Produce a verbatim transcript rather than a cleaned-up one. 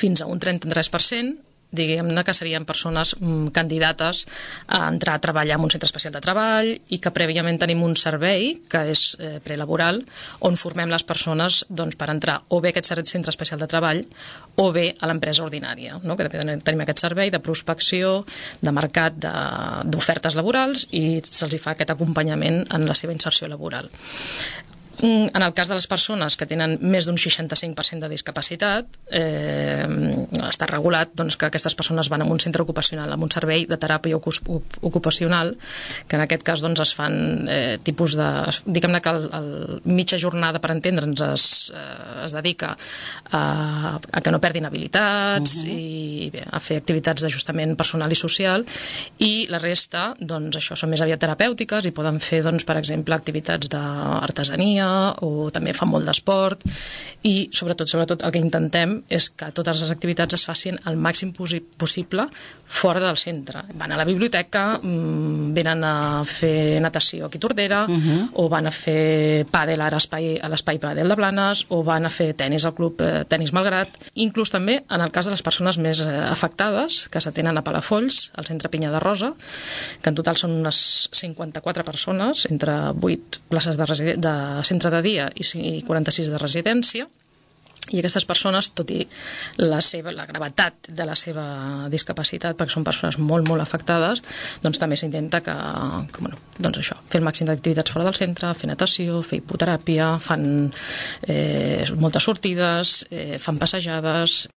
fins a un trenta-tres per cent, diguem-ne que serien persones mm, candidates a entrar a treballar en un centre especial de treball i que prèviament tenim un servei que és eh, prelaboral on formem les persones doncs, per entrar o bé a aquest centre especial de treball o bé a l'empresa ordinària, no? Que també tenim aquest servei de prospecció, de mercat d'ofertes laborals i se'ls fa aquest acompanyament en la seva inserció laboral. En el cas de les persones que tenen més d'un seixanta-cinc per cent de discapacitat, eh, està regulat doncs, que aquestes persones van a un centre ocupacional, amb un servei de teràpia ocupacional, que en aquest cas doncs, es fan eh, tipus de... Diguem-ne que el, el mitja jornada, per entendre'ns, es, eh, es dedica a, a que no perdin habilitats uh-huh. i bé, a fer activitats d'ajustament personal i social, i la resta, doncs, això són més aviat terapèutiques i poden fer, doncs, per exemple, activitats d'artesania o també fan molt d'esport i sobretot, sobretot el que intentem és que totes les activitats es facin el màxim possible fora del centre. Van a la biblioteca, venen a fer natació aquí a Tordera uh-huh. o van a fer pàdel a l'espai pàdel de Blanes o van a fer tenis al club eh, Tenis Malgrat. Inclús també en el cas de les persones més eh, afectades que s'atenen a Palafolls, al centre Pinya de Rosa, que en total són unes cinquanta-quatre persones entre vuit places de, residen- de centre de dia i quaranta-sis de residència, i aquestes persones, tot i la, seva, la gravetat de la seva discapacitat, perquè són persones molt, molt afectades, doncs també s'intenta que, que bueno, doncs això, fer el màxim d'activitats fora del centre, fer natació, fer hipoteràpia, fan eh, moltes sortides, eh, fan passejades.